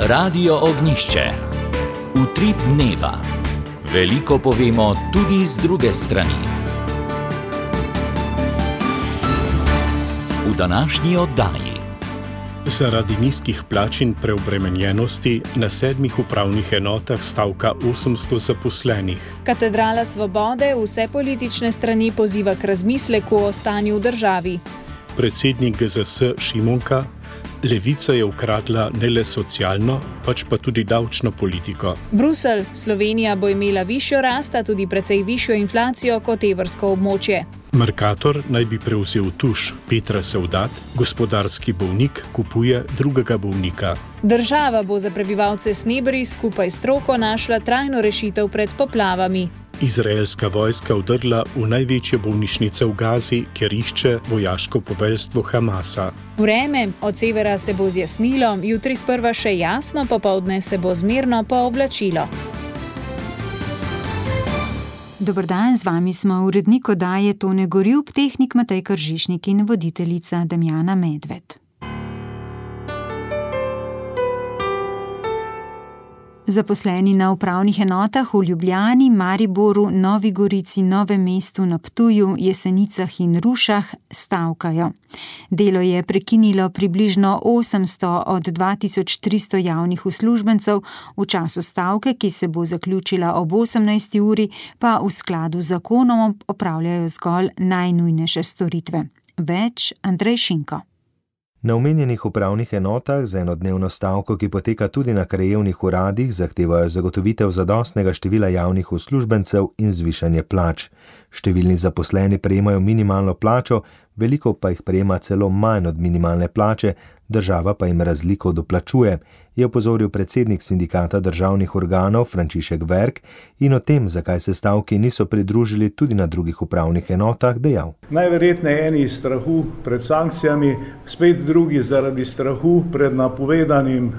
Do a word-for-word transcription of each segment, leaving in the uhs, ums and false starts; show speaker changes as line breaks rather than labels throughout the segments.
Radio Ognjišče. Utrip dneva. Veliko povemo tudi z druge strani. V današnji oddaji.
Zaradi nizkih plač in preobremenjenosti na sedmih upravnih enotah stavka osemsto zaposlenih.
Katedrala Svobode vse politične strani poziva k razmisleku o stanju v državi.
Predsednik G Z S Šimunka: Levica je ukradla ne le socialno, pač pa tudi davčno politiko.
Bruselj: Slovenija bo imela višjo rast, a tudi precej višjo inflacijo kot evrsko območje.
Mercator naj bi prevzel tuš. Petra Sevdat, gospodarski bolnik, kupuje drugega bolnika.
Država bo za prebivalce Snebri skupaj s stroko našla trajno rešitev pred poplavami.
Izraelska vojska vdrla v največje bolnišnice v Gazi, kjer išče vojaško poveljstvo Hamasa.
Vreme: od severa se bo zjasnilo, jutri sprva še jasno, popoldne se bo zmerno pooblačilo.
Dober dan, z vami smo urednik oddaje Tone Gorjup, tehnik Matej Kržišnik in voditeljica Damjana Medved. Zaposleni na upravnih enotah v Ljubljani, Mariboru, Novi Gorici, Novem mestu, na Ptuju, Jesenicah in Rušah stavkajo. Delo je prekinilo približno osemsto od dva tisoč tristo javnih uslužbencev, v času stavke, ki se bo zaključila ob osemnajsti uri, pa v skladu z zakonom opravljajo zgolj najnujnejše storitve. Več Andrej Šinko.
Na omenjenih upravnih enotah za enodnevno stavko, ki poteka tudi na krajevnih uradih, zahtevajo zagotovitev zadostnega števila javnih uslužbencev in zvišanje plač. Številni zaposleni prejemajo minimalno plačo, veliko pa jih prejema celo manj od minimalne plače, država pa jim razliko doplačuje, je opozoril predsednik sindikata državnih organov Frančišek Verk in o tem, zakaj se stavki niso pridružili tudi na drugih upravnih enotah, dejal.
Najverjetneje eni iz strahu pred sankcijami, spet drugi zaradi strahu pred napovedanim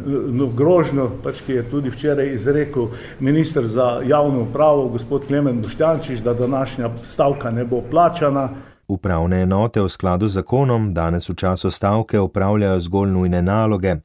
grožnjo, pač ki je tudi včeraj izrekel minister za javno upravo, gospod Klemen Boštjančič, da današnja stavka ne bo plačana.
Upravne enote v skladu z zakonom danes v času stavke opravljajo zgolj nujne naloge.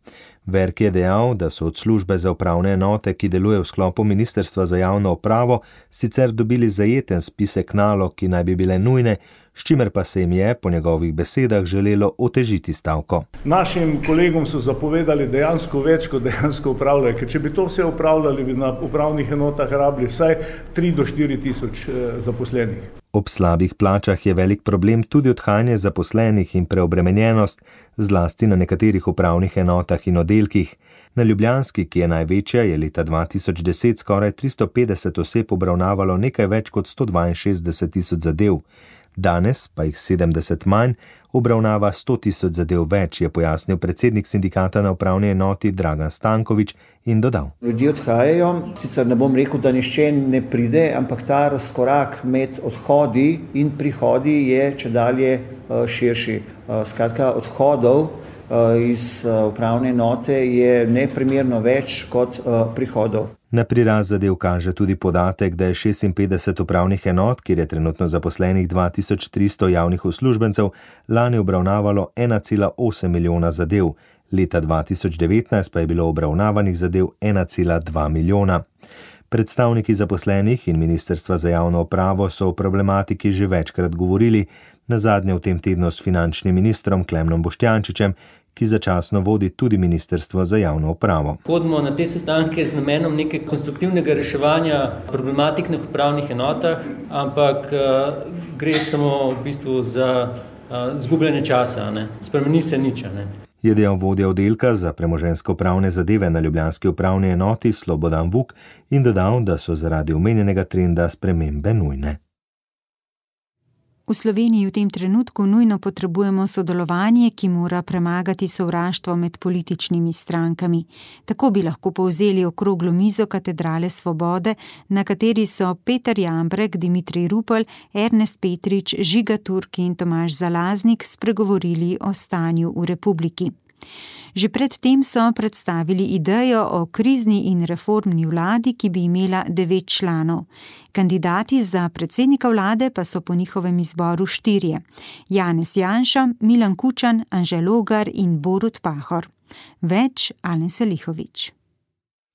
Verk je dejal, da so od službe za upravne enote, ki deluje v sklopu Ministrstva za javno upravo, sicer dobili zajeten spisek nalog, ki naj bi bile nujne, s čimer pa se jim je, po njegovih besedah, želelo otežiti stavko.
Našim kolegom so zapovedali dejansko več, kot dejansko upravljajo, ker če bi to vse upravljali, bi na upravnih enotah rabili vsaj tri do štiri tisoč zaposlenih.
Ob slabih plačah je velik problem tudi odhajanje zaposlenih in preobremenjenost, zlasti na nekaterih upravnih enotah in oddelkih. Na ljubljanski, ki je največja, je leta dva tisoč deset skoraj tristo petdeset oseb obravnavalo nekaj več kot sto dvainšestdeset tisoč zadev. Danes pa jih sedemdeset manj obravnava sto tisoč zadev več, je pojasnil predsednik sindikata na upravni enoti Dragan Stankovič in dodal.
Ljudje odhajajo, sicer ne bom rekel, da nišče ne pride, ampak ta razkorak med odhodi in prihodi je čedalje širši. Skratka, odhodov iz upravne enote je neprimerno več kot prihodov.
Na prirast zadev kaže tudi podatek, da je šestinpetdeset upravnih enot, kjer je trenutno zaposlenih dva tisoč tristo javnih uslužbencev, lani obravnavalo ena cela osem milijona zadev. Leta dva tisoč devetnajst pa je bilo obravnavanih zadev ena cela dva milijona. Predstavniki zaposlenih in Ministrstva za javno upravo so o problematiki že večkrat govorili, nazadnje v tem tednu s finančnim ministrom Klemnom Boštjančičem, ki začasno vodi tudi Ministrstvo za javno upravo.
Hodimo na te sestanke z namenom nekaj konstruktivnega reševanja problematik na upravnih enotah, ampak uh, gre samo v bistvu za uh, zgubljanje časa, ne? Spremeni se nič, ne?
Je dejal vodja oddelka za premoženjsko pravne zadeve na ljubljanski upravni enoti Slobodan Vuk in dodal, da so zaradi omenjenega trenda spremembe nujne.
V Sloveniji v tem trenutku nujno potrebujemo sodelovanje, ki mora premagati sovraštvo med političnimi strankami. Tako bi lahko povzeli okroglo mizo Katedrale Svobode, na kateri so Peter Jambrek, Dimitrij Rupel, Ernest Petrič, Žiga Turk in Tomaž Zalaznik spregovorili o stanju v republiki. Že pred tem so predstavili idejo o krizni in reformni vladi, ki bi imela devet članov. Kandidati za predsednika vlade pa so po njihovem izboru štirje: Janez Janša, Milan Kučan, Anže Logar in Borut Pahor. Več Alen Selihovič.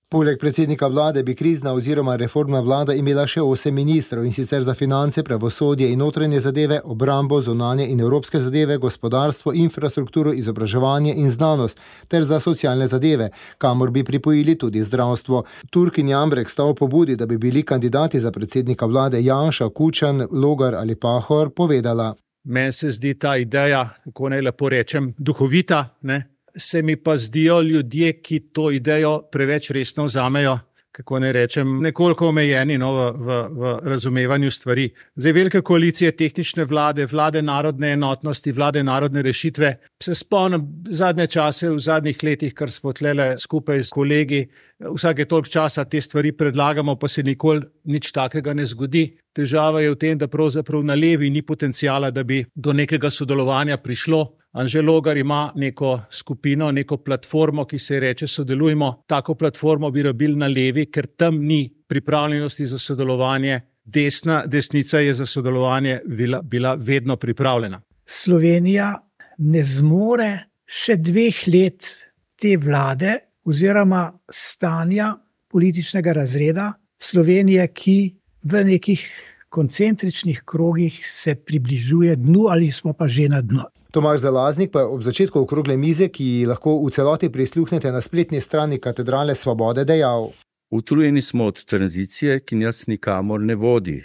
Poleg predsednika vlade bi krizna oziroma reformna vlada imela še osem ministrov, in sicer za finance, pravosodje in notranje zadeve, obrambo, zunanje in evropske zadeve, gospodarstvo, infrastrukturo, izobraževanje in znanost ter za socialne zadeve, kamor bi pripojili tudi zdravstvo. Turk in Jambrek sta o pobudi, da bi bili kandidati za predsednika vlade Janša, Kučan, Logar ali Pahor, povedala.
Meni se zdi ta ideja, kako naj lepo rečem, duhovita, ne? Se mi pa zdijo ljudje, ki to idejo preveč resno vzamejo, kako ne rečem, nekoliko omejeni no, v, v, v razumevanju stvari. Zdaj, velike koalicije tehnične vlade, vlade narodne enotnosti, vlade narodne rešitve, se spomnim zadnje čase, v zadnjih letih, kar smo tlele skupaj s kolegi, vsake toliko časa te stvari predlagamo, pa se nikoli nič takega ne zgodi. Težava je v tem, da pravzaprav na levi ni potencijala, da bi do nekega sodelovanja prišlo. Anže Logar ima neko skupino, neko platformo, ki se reče Sodelujmo. Tako platformo bi rabili na levi, ker tam ni pripravljenosti za sodelovanje. Desna, desnica je za sodelovanje bila, bila vedno pripravljena.
Slovenija ne zmore še dveh let te vlade oziroma stanja političnega razreda Slovenije, ki v nekih koncentričnih krogih se približuje dnu ali smo pa že na dnu.
Tomaž Zalaznik pa je ob začetku okrogle mize, ki ji lahko v celoti prisluhnete na spletni strani Katedrale Svobode, dejal.
Utrujeni smo od tranzicije, ki nas nikamor ne vodi.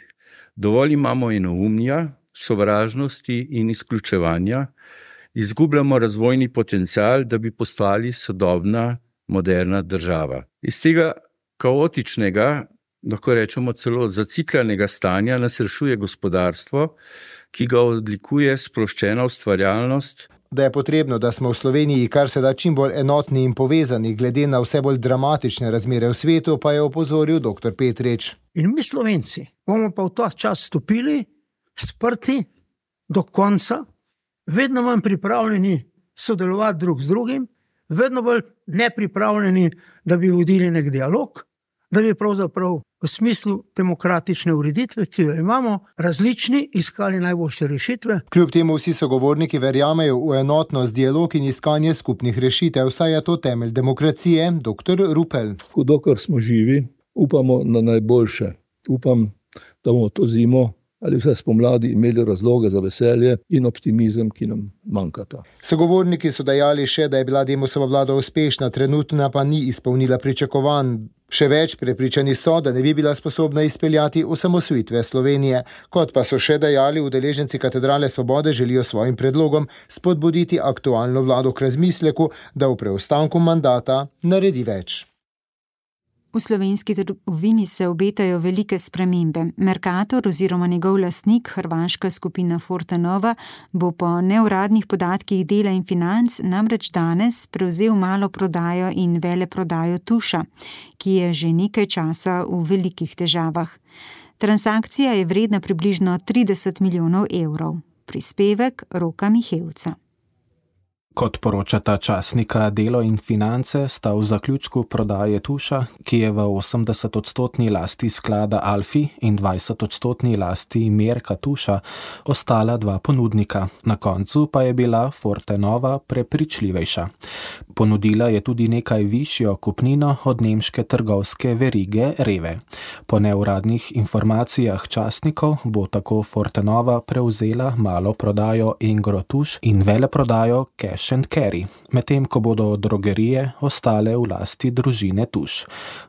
Dovolj imamo enoumja, sovražnosti in izključevanja. Izgubljamo razvojni potencial, da bi postali sodobna, moderna država. Iz tega kaotičnega, lahko rečemo celo zaciklanega stanja, nas rešuje gospodarstvo, ki ga odlikuje sproščena ustvarjalnost.
Da je potrebno, da smo v Sloveniji kar se da čim bolj enotni in povezani, glede na vse bolj dramatične razmere v svetu, pa je opozoril doktor Petrič.
In mi Slovenci bomo pa v ta čas stopili, sprti do konca, vedno manj pripravljeni sodelovati drug z drugim, vedno bolj nepripravljeni, da bi vodili nek dialog, da bi pravzaprav v smislu demokratične ureditve, ki jo imamo, različni iskali najboljše rešitve.
Kljub temu vsi sogovorniki verjamejo v enotnost, dialog in iskanje skupnih rešitev, saj je to temelj demokracije, doktor Rupel.
Dokler smo živi, upamo na najboljše. Upam, da bomo to zimo ali vse spomladi imeli razloge za veselje in optimizem, ki nam manjkata.
Sogovorniki so dejali še, da je bila Demosova vlada uspešna, trenutna pa ni izpolnila pričakovanj. Še več, prepričani so, da ne bi bila sposobna izpeljati osamosvojitve Slovenije. Kot pa so še dejali, udeleženci Katedrale Svobode želijo svojim predlogom spodbuditi aktualno vlado k razmisleku, da v preostanku mandata naredi več.
V slovenski trgovini se obetajo velike spremembe. Mercator oziroma njegov lastnik, hrvaška skupina Fortenova, bo po neuradnih podatkih Dela in Financ namreč danes prevzel malo prodajo in veleprodajo Tuša, ki je že nekaj časa v velikih težavah. Transakcija je vredna približno trideset milijonov evrov. Prispevek Roka Mihevca.
Kot poročata časnika Delo in Finance, sta v zaključku prodaje Tuša, ki je v osemdesetodstotni lasti sklada Alfi in dvajsetodstotni lasti Merka Tuša, ostala dva ponudnika. Na koncu pa je bila Fortenova prepričljivejša. Ponudila je tudi nekaj višjo kupnino od nemške trgovske verige Rewe. Po neuradnih informacijah časnikov bo tako Fortenova prevzela malo prodajo Engro Tuš in veleprodajo Cash and Carry, medtem ko bodo drogerije ostale v lasti družine Tuš.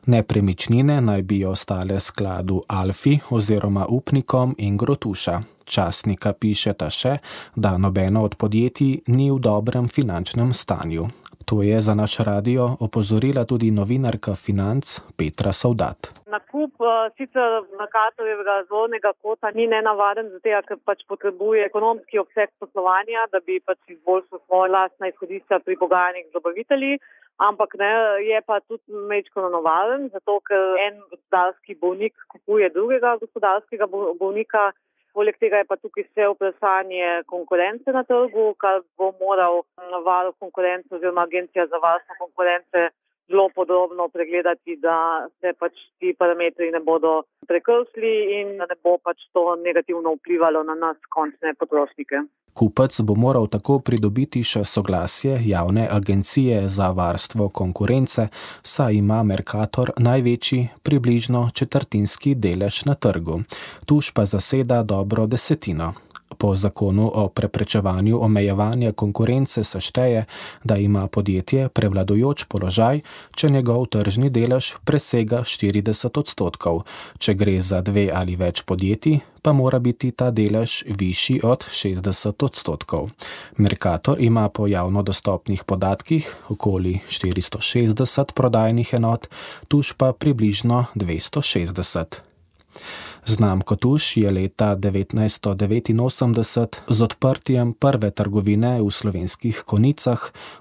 Nepremičnine naj bi ostale skladu Alfi oziroma upnikom Engro Tuša. Časnika pišeta še, da nobeno od podjetij ni v dobrem finančnem stanju. To je za naš radio opozorila tudi novinarka Financ Petra Savdat.
Nakup sicer Mercatorjevega zornega kota ni nenavaden, zato ker pač potrebuje ekonomski obseg poslovanja, da bi pač izboljšal svoje lastna izhodišča pri pogajanjih z dobavitelji, ampak ne, je pa tudi majčkeno navaden, zato ker en gospodarski bolnik kupuje drugega gospodarskega bolnika. Poleg tega je pa tukaj vse vprašanje konkurence na trgu, kar bo moral varuh konkurence oziroma agencija za varstvo konkurence zelo podrobno pregledati, da se pač ti parametri ne bodo prekršili in da ne bo pač to negativno vplivalo na nas, končne potrošnike.
Kupec bo moral tako pridobiti še soglasje javne agencije za varstvo konkurence, saj ima Mercator največji, približno četrtinski delež na trgu. Tuš pa zaseda dobro desetino. Po zakonu o preprečevanju omejevanja konkurence se šteje, da ima podjetje prevladujoč položaj, če njegov tržni delež presega štirideset odstotkov. Če gre za dve ali več podjetij, pa mora biti ta delež višji od šestdeset odstotkov. Mercator ima po javno dostopnih podatkih okoli štiristo šestdeset prodajnih enot, Tuš pa približno dvesto šestdeset. Znamko Tuš je leta devetnajststo devetinosemdeset z odprtjem prve trgovine v Slovenskih Konjicah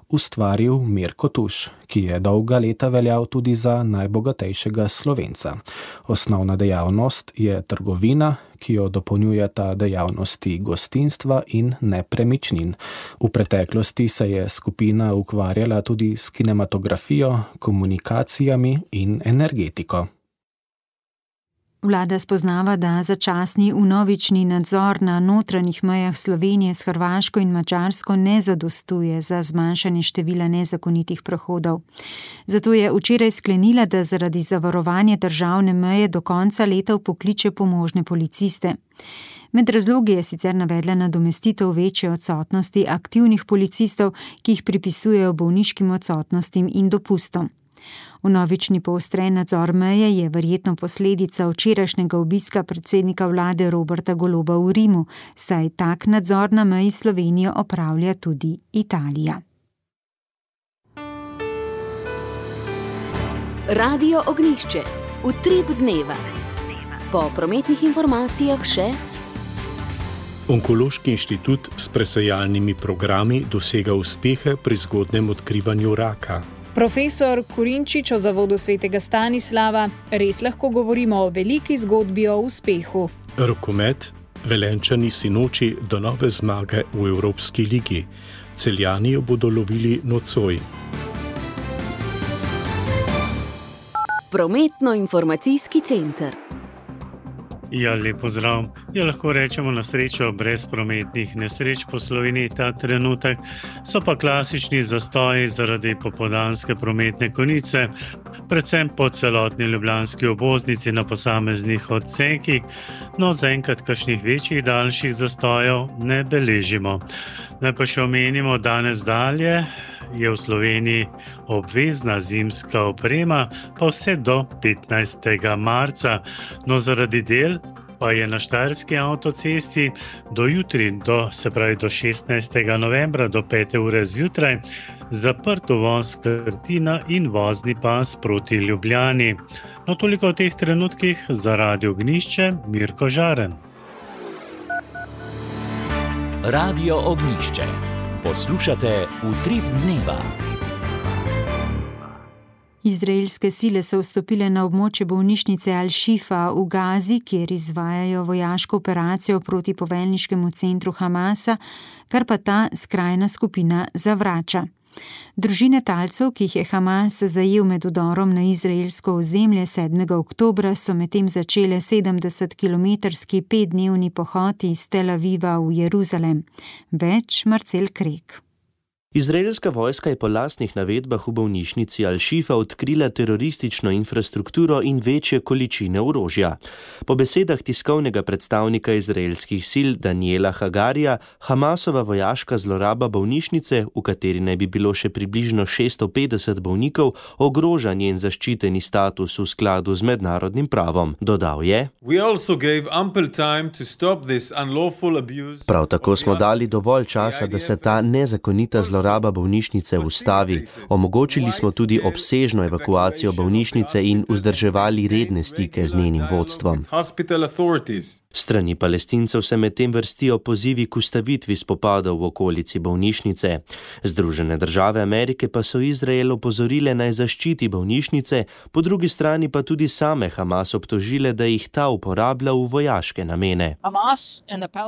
ustvaril Mirko Tuš, ki je dolga leta veljal tudi za najbogatejšega Slovenca. Osnovna dejavnost je trgovina, ki jo dopolnjujeta dejavnosti gostinstva in nepremičnin. V preteklosti se je skupina ukvarjala tudi s kinematografijo, komunikacijami in energetiko.
Vlada spoznava, da začasni vnovični nadzor na notranjih mejah Slovenije s Hrvaško in Madžarsko ne zadostuje za zmanjšanje števila nezakonitih prehodov. Zato je včeraj sklenila, da zaradi zavarovanja državne meje do konca leta vpokliče pomožne policiste. Med razlogi je sicer navedla nadomestitev večje odsotnosti aktivnih policistov, ki jih pripisujejo bolniškim odsotnostim in dopustom. Vnovični poostren nadzor meje je verjetno posledica včerajšnjega obiska predsednika vlade Roberta Goloba v Rimu, saj tak nadzor na meji Slovenijo opravlja tudi Italija.
Radio Ognjišče. Utrip dneva. Po prometnih informacijah še
Onkološki inštitut s presejalnimi programi dosega uspehe pri zgodnjem odkrivanju raka.
Profesor Kurinčič o Zavodu svetega Stanislava: res lahko govorimo o veliki zgodbi o uspehu.
Rokomet, Velenjčani sinoči do nove zmage v Evropski ligi. Celjani jo bodo lovili nocoj.
Prometno-informacijski center.
Ja, lep pozdrav. Ja, lahko rečemo na srečo brez prometnih nesreč po Sloveniji ta trenutek. So pa klasični zastoji zaradi popoldanske prometne konice, predvsem po celotni ljubljanski obvoznici na posameznih odsekih, no zaenkrat kakšnih večjih daljših zastojev ne beležimo. Naj pa še omenimo, danes dalje je v Sloveniji obvezna zimska oprema, pa vse do petnajstega marca. No, zaradi del pa je na Štajerski avtocesti do jutri, do, se pravi do šestnajstega novembra, do pete ure zjutraj, zaprt uvoz Krtina in vozni pas proti Ljubljani. No, toliko v teh trenutkih. Za Radio Ognjišče, Mirko Žaren.
Radio Ognjišče. Poslušate Utrip dneva.
Izraelske sile so vstopile na območje bolnišnice Al-Shifa v Gazi, kjer izvajajo vojaško operacijo proti poveljniškemu centru Hamasa, kar pa ta skrajna skupina zavrača. Družine talcev, ki jih je Hamas zajel med vdorom na izraelsko ozemlje sedmega oktobra, so medtem začele sedemdesetkilometrski petdnevni pohod iz Tel Aviva v Jeruzalem. Več Marcel Krek.
Izraelska vojska je po lastnih navedbah v bolnišnici Al-Shifa odkrila teroristično infrastrukturo in večje količine orožja. Po besedah tiskovnega predstavnika izraelskih sil Daniela Hagarija, Hamasova vojaška zloraba bolnišnice, v kateri naj bi bilo še približno šeststo petdeset bolnikov, ogroža njen zaščiteni status v skladu z mednarodnim pravom. Dodal je: Prav tako smo dali dovolj časa, da se ta nezakonita zloraba Zloraba bolnišnice ustavi. Omogočili smo tudi obsežno evakuacijo bolnišnice in vzdrževali redne stike z njenim vodstvom. Strani Palestincev se medtem vrstijo pozivi k ustavitvi spopadov v okolici bolnišnice. Združene države Amerike pa so Izrael opozorile naj zaščiti bolnišnice, po drugi strani pa tudi same Hamas obtožile, da jih ta uporablja v vojaške namene.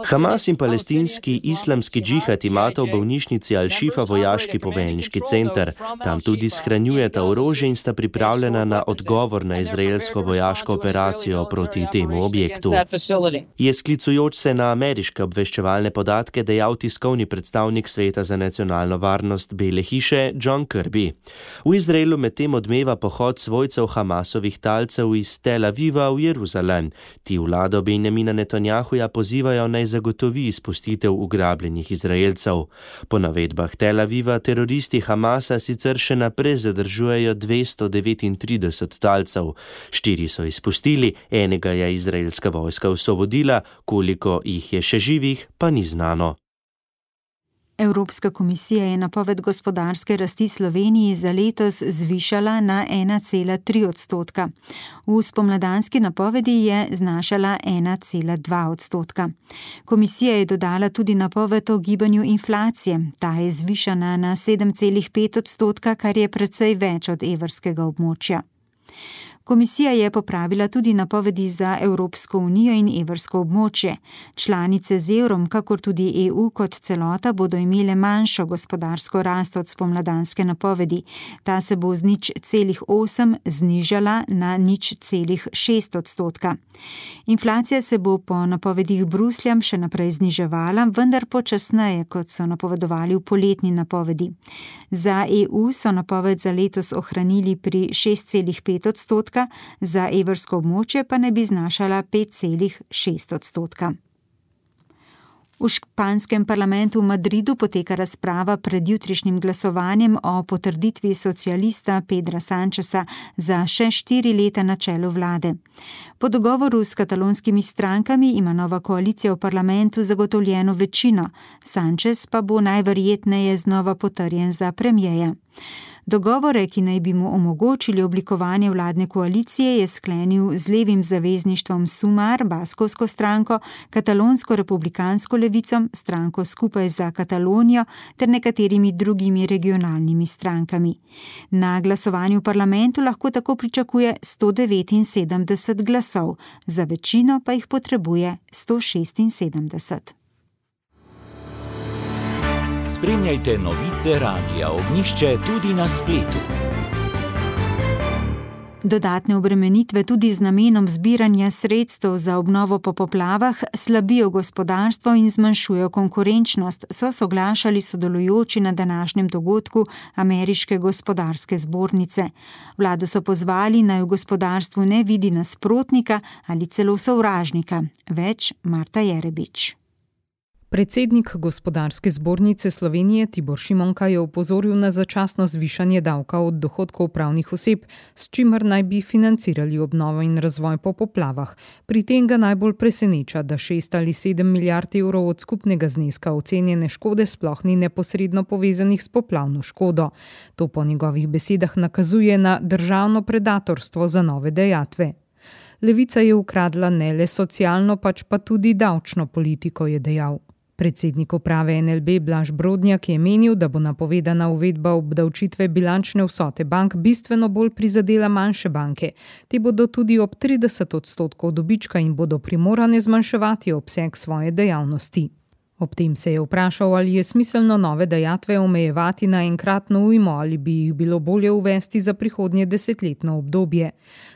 Hamas in palestinski islamski džihad imata v bolnišnici Al-Shifa vojaški poveljniški center. Tam tudi shranjujeta orožje in sta pripravljena na odgovor na izraelsko vojaško operacijo proti temu objektu. Je sklicujoč se na ameriške obveščevalne podatke dejal tiskovni predstavnik Sveta za nacionalno varnost Bele hiše John Kirby. V Izraelu medtem odmeva pohod svojcev Hamasovih talcev iz Tel Aviva v Jeruzalem. Ti vlado Benjamina Netanjahuja pozivajo naj zagotovi izpustitev ugrabljenih Izraelcev. Po navedbah Tel Aviva teroristi Hamasa sicer še naprej zadržujejo dvesto devetintrideset talcev. Štiri so izpustili, enega je izraelska vojska osvobodila, koliko jih je še živih, pa ni znano.
Evropska komisija je napoved gospodarske rasti Sloveniji za letos zvišala na ena cela tri odstotka. V spomladanski napovedi je znašala ena cela dva odstotka. Komisija je dodala tudi napoved o gibanju inflacije. Ta je zvišana na sedem cela pet odstotka, kar je precej več od evrskega območja. Komisija je popravila tudi napovedi za Evropsko unijo in evrsko območje. Članice z evrom, kakor tudi E U kot celota, bodo imele manjšo gospodarsko rast od spomladanske napovedi. Ta se bo z nič celih osem znižala na nič celih šest odstotka. Inflacija se bo po napovedih Bruslja še naprej zniževala, vendar počasneje, kot so napovedovali v poletni napovedi. Za E U so napoved za letos ohranili pri šest celih pet odstotka, za evrsko območje pa ne bi znašala pet celih šest odstotka. V španskem parlamentu v Madridu poteka razprava pred jutrišnjim glasovanjem o potrditvi socialista Pedra Sancheza za še štiri leta na čelu vlade. Po dogovoru s katalonskimi strankami ima nova koalicija v parlamentu zagotovljeno večino, Sanchez pa bo najverjetneje znova potrjen za premierja. Dogovore, ki naj bi mu omogočili oblikovanje vladne koalicije, je sklenil z levim zavezništvom Sumar, baskovsko stranko, katalonsko republikansko levico, stranko Skupaj za Katalonijo ter nekaterimi drugimi regionalnimi strankami. Na glasovanju v parlamentu lahko tako pričakuje sto devetinsedemdeset glasov, za večino pa jih potrebuje sto šestinsedemdeset.
Spremljajte novice Radia Ognjišče tudi na spletu.
Dodatne obremenitve tudi z namenom zbiranja sredstev za obnovo po poplavah slabijo gospodarstvo in zmanjšujejo konkurenčnost, so soglašali sodelujoči na današnjem dogodku Ameriške gospodarske zbornice. Vlado so pozvali, naj v gospodarstvu ne vidi nasprotnika ali celo sovražnika. Več Marta Jerebič.
Predsednik Gospodarske zbornice Slovenije Tibor Šimonka je opozoril na začasno zvišanje davka od dohodkov pravnih oseb, s čimer naj bi financirali obnovo in razvoj po poplavah. Pri tem ga najbolj preseneča, da šest ali sedem milijard evrov od skupnega zneska ocenjene škode sploh ni neposredno povezanih s poplavno škodo. To po njegovih besedah nakazuje na državno predatorstvo za nove dejatve. Levica je ukradla ne le socialno, pač pa tudi davčno politiko, je dejal. Predsednik uprave N L B Blaž Brodnjak je menil, da bo napovedana uvedba obdavčitve bilančne vsote bank bistveno bolj prizadela manjše banke. Te bodo tudi ob trideset odstotkov dobička in bodo primorane zmanjševati obseg svoje dejavnosti. Ob tem se je vprašal, ali je smiselno nove dajatve omejevati na enkratno ujmo ali bi jih bilo bolje uvesti za prihodnje desetletno obdobje.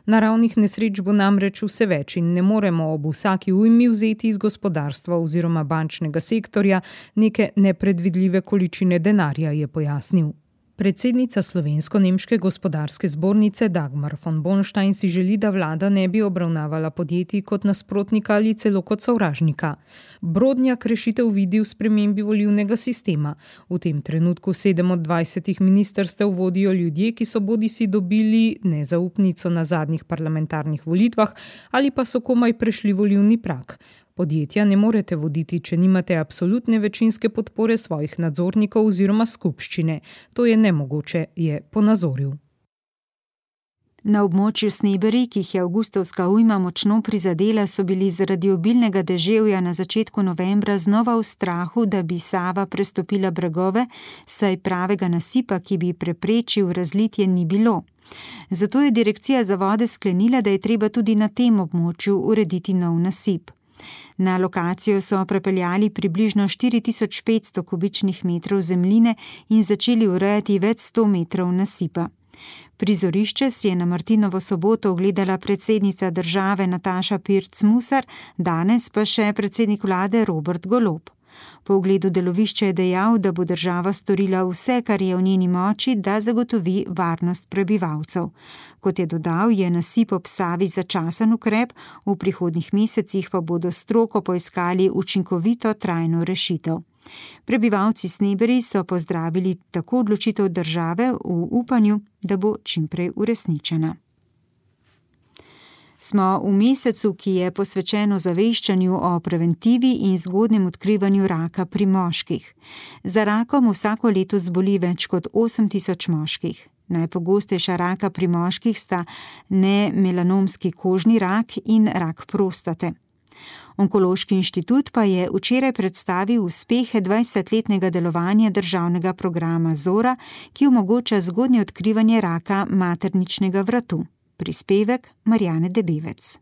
Naravnih nesreč bo namreč vse več in ne moremo ob vsaki ujmi vzeti iz gospodarstva oziroma bančnega sektorja neke nepredvidljive količine denarja, je pojasnil. Predsednica Slovensko-nemške gospodarske zbornice Dagmar von Bonstein si želi, da vlada ne bi obravnavala podjetij kot nasprotnika ali celo kot sovražnika. Brodnjak rešitev vidi v spremembi volilnega sistema. V tem trenutku sedem od dvajsetih ministrstev vodijo ljudje, ki so bodisi dobili nezaupnico na zadnjih parlamentarnih volitvah ali pa so komaj prešli volilni prag. Podjetja ne morete voditi, če nimate absolutne večinske podpore svojih nadzornikov oziroma skupščine. To je nemogoče, je ponazoril.
Na območju Sneberi, ki jih je avgustovska ujma močno prizadela, so bili zaradi obilnega deževja na začetku novembra znova v strahu, da bi Sava prestopila bregove, saj pravega nasipa, ki bi preprečil razlitje, ni bilo. Zato je direkcija za vode sklenila, da je treba tudi na tem območju urediti nov nasip. Na lokacijo so prepeljali približno štiri tisoč petsto kubičnih metrov zemljine in začeli urejati več sto metrov nasipa. Prizorišče si je na Martinovo soboto ogledala predsednica države Nataša Pirc Musar, danes pa še predsednik vlade Robert Golob. Po ogledu delovišča je dejal, da bo država storila vse, kar je v njeni moči, da zagotovi varnost prebivalcev. Kot je dodal, je nasip ob Savi začasen ukrep, v prihodnjih mesecih pa bodo stroko poiskali učinkovito trajno rešitev. Prebivalci Sneberi so pozdravili tako odločitev države v upanju, da bo čimprej uresničena. Smo v mesecu, ki je posvečen ozaveščanju o preventivi in zgodnjem odkrivanju raka pri moških. Za rakom vsako leto zboli več kot osem tisoč moških. Najpogostejša raka pri moških sta nemelanomski kožni rak in rak prostate. Onkološki inštitut pa je včeraj predstavil uspehe dvajsetletnega delovanja državnega programa Zora, ki omogoča zgodnje odkrivanje raka materničnega vratu. Prispevek Marjane Debevec.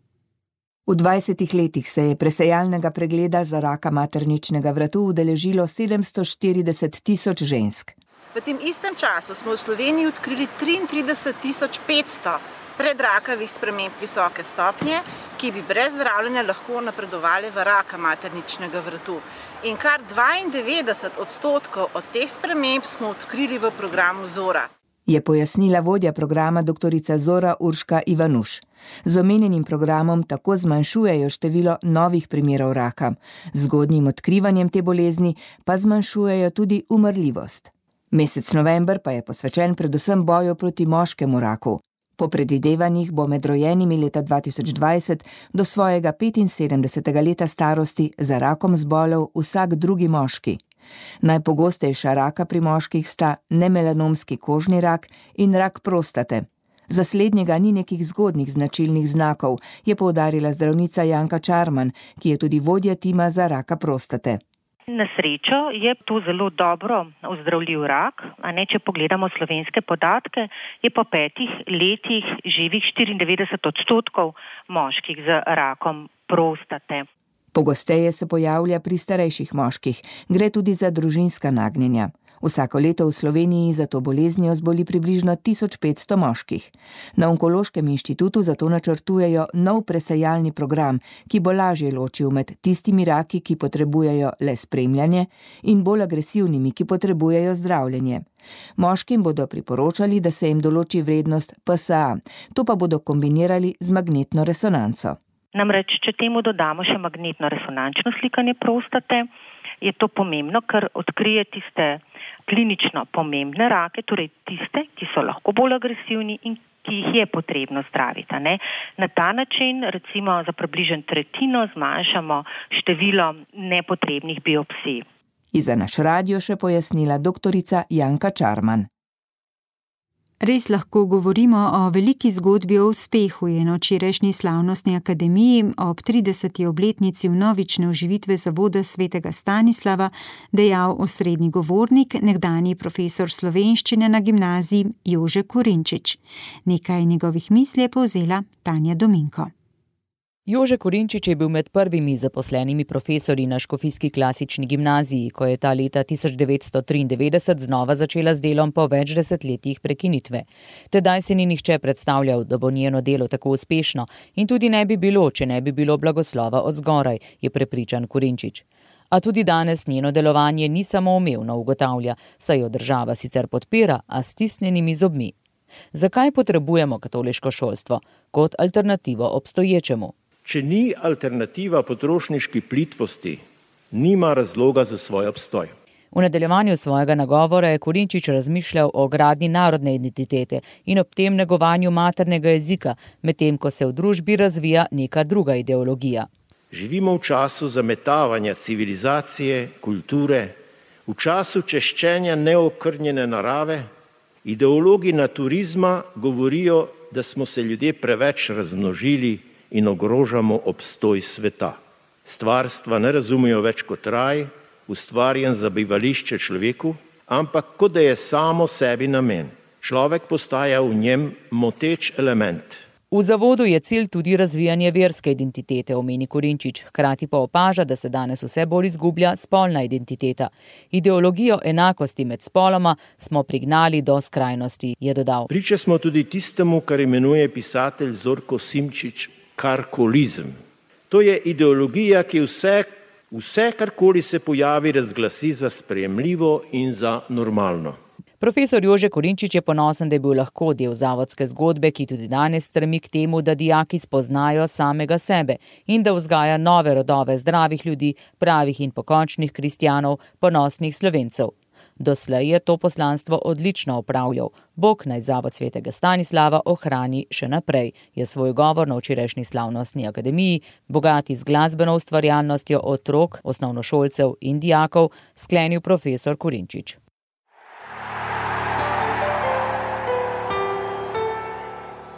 V dvajsetih letih se je presejalnega pregleda za raka materničnega vratu udeležilo sedemsto štirideset tisoč žensk.
V tem istem času smo v Sloveniji odkrili triintrideset tisoč petsto predrakavih sprememb visoke stopnje, ki bi brez zdravljenja lahko napredovali v raka materničnega vratu. In kar dvaindevetdeset odstotkov od teh sprememb smo odkrili v programu Zora.
Je pojasnila vodja programa doktorica Zora Urška Ivanuš. Z omenjenim programom tako zmanjšujejo število novih primerov raka. Z zgodnjim odkrivanjem te bolezni pa zmanjšujejo tudi umrljivost. Mesec november pa je posvečen predvsem boju proti moškemu raku. Po predvidevanjih bo med rojenimi leta dva tisoč dvajset do svojega petinsedemdesetega leta starosti za rakom zbolel vsak drugi moški. Najpogostejša raka pri moških sta nemelanomski kožni rak in rak prostate. Za slednjega ni nekih zgodnih značilnih znakov, je poudarila zdravnica Janka Čarman, ki je tudi vodja tima za raka prostate.
Na srečo je to zelo dobro ozdravljiv rak, a ne, če pogledamo slovenske podatke, je po petih letih živih štiriindevetdeset odstotkov moških z rakom prostate.
Pogosteje se pojavlja pri starejših moških, gre tudi za družinska nagnjenja. Vsako leto v Sloveniji za to boleznijo zboli približno tisoč petsto moških. Na Onkološkem inštitutu zato načrtujejo nov presejalni program, ki bo lažje ločil med tistimi raki, ki potrebujejo le spremljanje, in bolj agresivnimi, ki potrebujejo zdravljenje. Moškim bodo priporočali, da se jim določi vrednost P S A, to pa bodo kombinirali z magnetno resonanco.
Namreč, če temu dodamo še magnetno resonančno slikanje prostate, je to pomembno, ker odkrije tiste klinično pomembne rake, torej tiste, ki so lahko bolj agresivni in ki jih je potrebno zdraviti. Ne? Na ta način, recimo za približno tretjino, zmanjšamo število nepotrebnih biopsij.
In za naš radio še pojasnila doktorica Janka Čarman.
Res lahko govorimo o veliki zgodbi o uspehu, je na včerajšnji slavnostni akademiji ob trideseti obletnici vnovične oživitve zavoda svetega Stanislava dejal osrednji govornik, nekdanji profesor slovenščine na gimnaziji Jože Korinčič. Nekaj njegovih misli je povzela Tanja Dominko.
Jože Korinčič je bil med prvimi zaposlenimi profesorji na škofijski klasični gimnaziji, ko je ta leta tisoč devetsto triindevetdeset znova začela z delom po več desetletjih prekinitve. Tedaj se ni nihče predstavljal, da bo njeno delo tako uspešno in tudi ne bi bilo, če ne bi bilo blagoslova od zgoraj, je prepričan Korinčič. A tudi danes njeno delovanje ni samoumevno, ugotavlja, saj jo država sicer podpira, a s stisnjenimi zobmi. Zakaj potrebujemo katoliško šolstvo kot alternativo obstoječemu?
Če ni alternativa potrošniški plitvosti, nima razloga za svoj obstoj.
V nadaljevanju svojega nagovora je Korinčič razmišljal o gradnji narodne identitete in ob tem negovanju maternega jezika, medtem ko se v družbi razvija neka druga ideologija.
Živimo v času zametavanja civilizacije, kulture, v času češčenja neokrnjene narave. Ideologi naturizma govorijo, da smo se ljudje preveč razmnožili in ogrožamo obstoj sveta. Stvarstva ne razumejo več kot raj, ustvarjen za bivališče človeku, ampak kot da je samo sebi namen. Človek postaja v njem moteč element.
V zavodu je cilj tudi razvijanje verske identitete, omeni Korinčič, hkrati pa opaža, da se danes vse bolj izgublja spolna identiteta. Ideologijo enakosti med spoloma smo prignali do skrajnosti, je dodal.
Priče smo tudi tistemu, kar imenuje pisatelj Zorko Simčič, karkolizem. To je ideologija, ki vse, vse karkoli se pojavi, razglasi za sprejemljivo in za normalno.
Profesor Jože Korinčič je ponosen, da je bil lahko del zavodske zgodbe, ki tudi danes stremi k temu, da dijaki spoznajo samega sebe in da vzgaja nove rodove zdravih ljudi, pravih in pokončnih kristjanov, ponosnih Slovencev. Doslej je to poslanstvo odlično opravljal. Bog naj Zavod svetega Stanislava ohrani še naprej, je svoj govor na včerajšnji slavnostni akademiji, bogati z glasbeno ustvarjalnostjo otrok, osnovnošolcev in dijakov, sklenil profesor Korinčič.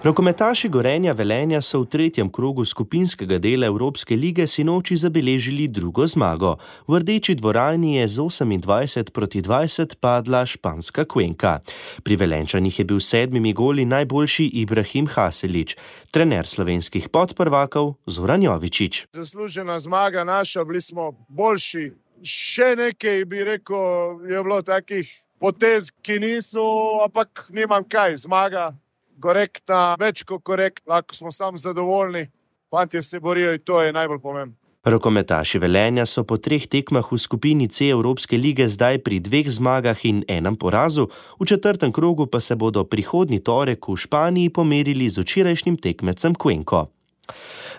Rokometaši Gorenja Velenja so v tretjem krogu skupinskega dela Evropske lige sinoči zabeležili drugo zmago. V Rdeči dvorani je z osemindvajset proti dvajset padla španska Cuenca. Pri Velenčanih je bil s sedmimi goli najboljši Ibrahim Haselić, trener slovenskih podprvakov Zoran Jovičić.
Zaslužena zmaga naša, bili smo boljši. Še nekaj bi rekel, je bilo takih potez, ki niso, ampak nimam kaj, zmaga. Korektna, več kot korekt, lahko smo sam zadovoljni. Fantje se borijo in to je najbolj pomembno.
Rokometaši Velenja so po treh tekmah v skupini C Evropske lige zdaj pri dveh zmagah in enem porazu, v četrtem krogu pa se bodo prihodnji torek v Španiji pomerili z včerajšnjim tekmecem Cuenco.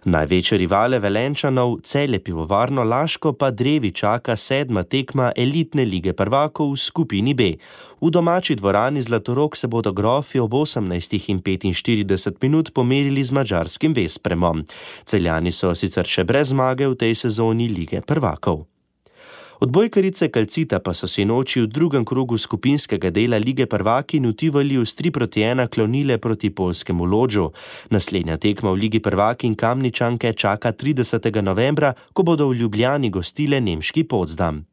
Največje rivale Velenčanov, Celje Pivovarno Laško, pa drevi čaka sedma tekma elitne lige prvakov v skupini B. V domači dvorani Zlatorog se bodo grofi ob osemnajstih in petinštirideset minut pomerili z madžarskim Vespremom. Celjani so sicer še brez zmage v tej sezoni lige prvakov. Odbojkarice Calcita pa so si noči v drugem krogu skupinskega dela lige prvaki v Tivoliju s tri proti ena klonile proti poljskemu Lodžu. Naslednja tekma v ligi prvaki in Kamničanke čaka tridesetega novembra, ko bodo v Ljubljani gostile nemški Potsdam.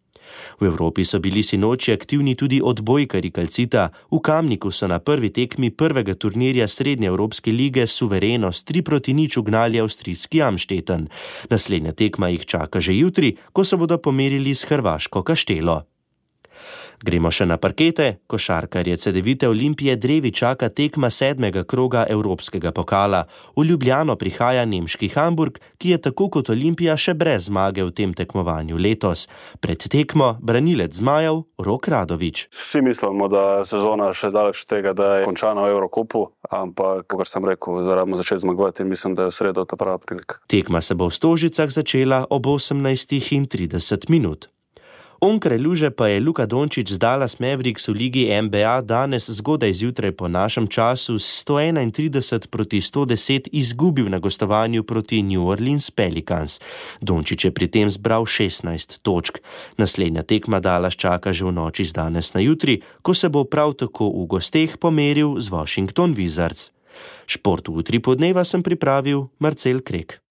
V Evropi so bili sinoči aktivni tudi odbojkari Calcita. V Kamniku so na prvi tekmi prvega turnirja Srednje Evropske lige suvereno s tri proti nič ugnali avstrijski Amstetten. Naslednja tekma jih čaka že jutri, ko se bodo pomerili s hrvaško Kaštelo. Gremo še na parkete. Košarkarje Cedevite Olimpije drevi čaka tekma sedmega kroga Evropskega pokala. V Ljubljano prihaja nemški Hamburg, ki je tako kot Olimpija še brez zmage v tem tekmovanju letos. Pred tekmo branilec zmajev Rok Radović.
Vsi mislimo, da sezona še daleč tega, da je končana v Evrokupu, ampak, kot sem rekel, moramo začeti zmagovati in mislim, da je v sredo ta prava prilika.
Tekma se bo v Stožicah začela ob osemnajstih in trideset minut. Onkraj luže pa je Luka Dončić z Dallas Mavericks v ligi N B A danes zgodaj zjutraj po našem času s sto enaintrideset proti sto deset izgubil na gostovanju proti New Orleans Pelicans. Dončić je pri tem zbral šestnajst točk. Naslednja tekma Dallas čaka že v noči z danes na jutri, ko se bo prav tako v gosteh pomeril z Washington Wizards. Šport v Utri podneva sem pripravil Marcel Krek.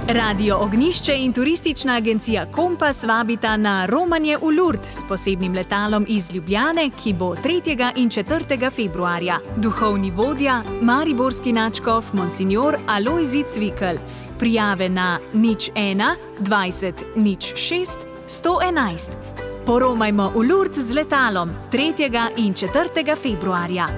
Radio Ognišče in turistična agencija Kompas vabita na romanje v Lourdes s posebnim letalom iz Ljubljane, ki bo tretjega in četrtega februarja. Duhovni vodja, mariborski nadškof Monsignor Alojzij Cvikl. Prijave na nič ena dvajset nič šest sto enajst. Poromajmo v Lourdes z letalom tretjega in četrtega februarja.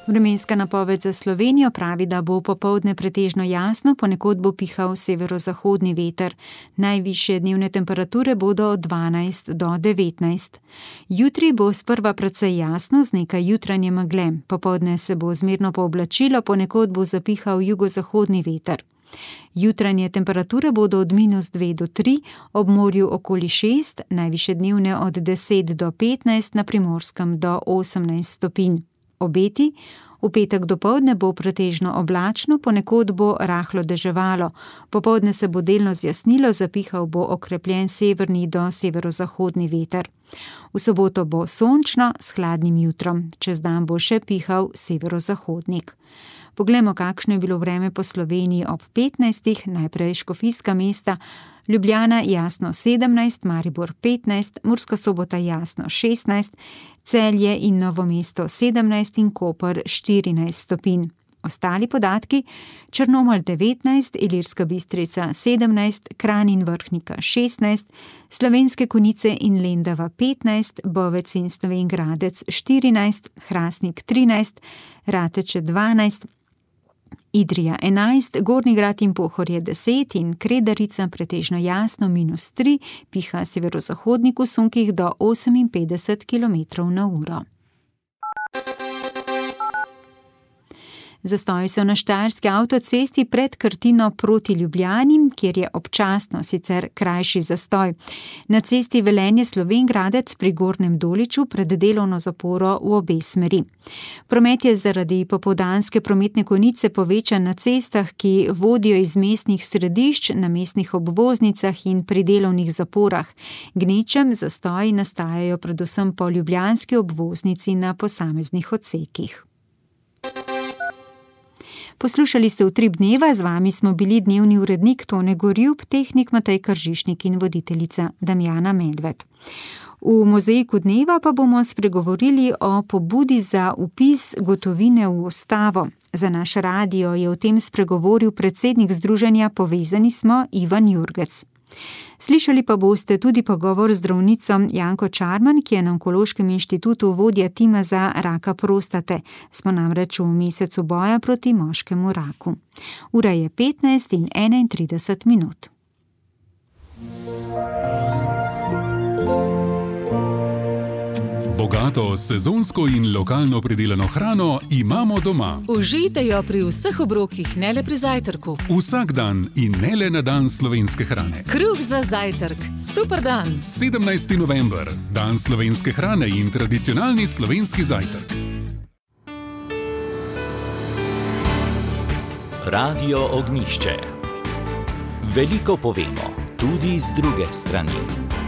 Vremenska napoved za Slovenijo pravi, da bo popoldne pretežno jasno, ponekod bo pihal severozahodni veter. Najvišje dnevne temperature bodo od dvanajst do devetnajst. Jutri bo sprva precej jasno z nekaj jutranje megle. Popoldne se bo zmerno pooblačilo, ponekod bo zapihal jugozahodni veter. Jutranje temperature bodo od minus dve do tri, ob morju okoli šest, najvišje dnevne od deset do petnajst, na Primorskem do osemnajst stopinj. Obeti: V petek dopoldne bo pretežno oblačno, ponekod bo rahlo deževalo. Popoldne se bo delno zjasnilo, zapihal bo okrepljen severni do severozahodni veter. V soboto bo sončno s hladnim jutrom, čez dan bo še pihal severozahodnik. Poglejmo, kakšno je bilo vreme po Sloveniji ob petnajstih, najprej škofijska mesta, Ljubljana jasno sedemnajst, Maribor petnajst, Murska Sobota jasno šestnajst, Celje in Novo mesto sedemnajst in Koper štirinajst stopinj. Ostali podatki: Črnomelj devetnajst, Ilirska Bistrica sedemnajst, Kranj in Vrhnika šestnajst, Slovenske Konjice in Lendava petnajst, Bovec in Slovenj Gradec štirinajst, Hrastnik trinajst, Rateče dvanajst, Idrija enajst, Gornji Grad in Pohorje deset in Kredarica pretežno jasno minus tri, piha severozahodnik v sunkih do oseminpetdeset kilometrov na uro. Zastoji so na štajerski avtocesti pred Krtino proti Ljubljani, kjer je občasno sicer krajši zastoj. Na cesti Velenje-Slovenj Gradec pri Gornjem Doliču pred delovno zaporo v obe smeri. Promet je zaradi popoldanske prometne konice povečan na cestah, ki vodijo iz mestnih središč, na mestnih obvoznicah in pri delovnih zaporah. Gnečem zastoji nastajajo predvsem po ljubljanski obvoznici na posameznih odsekih. Poslušali ste Utrip dneva, z vami smo bili dnevni urednik Tone Gorjup, tehnik Matej Kržišnik in voditeljica Damjana Medved. V mozaiku dneva pa bomo spregovorili o pobudi za vpis gotovine v ustavo. Za naš radio je o tem spregovoril predsednik združenja Povezani smo Ivan Jurgec. Slišali pa boste tudi pogovor z zdravnico Janko Čarman, ki je na Onkološkem inštitutu vodja tima za raka prostate. Smo namreč v mesecu boja proti moškemu raku. Ura je petnajst in enaintrideset minut.
Bogato, sezonsko in lokalno pridelano hrano imamo doma.
Užijte jo pri vseh obrokih, ne le pri zajtrku.
Vsak dan in ne le na dan slovenske hrane.
Kruh za zajtrk, super dan.
sedemnajsti november, dan slovenske hrane in tradicionalni slovenski zajtrk.
Radio Ognjišče. Veliko povemo, tudi z druge strani.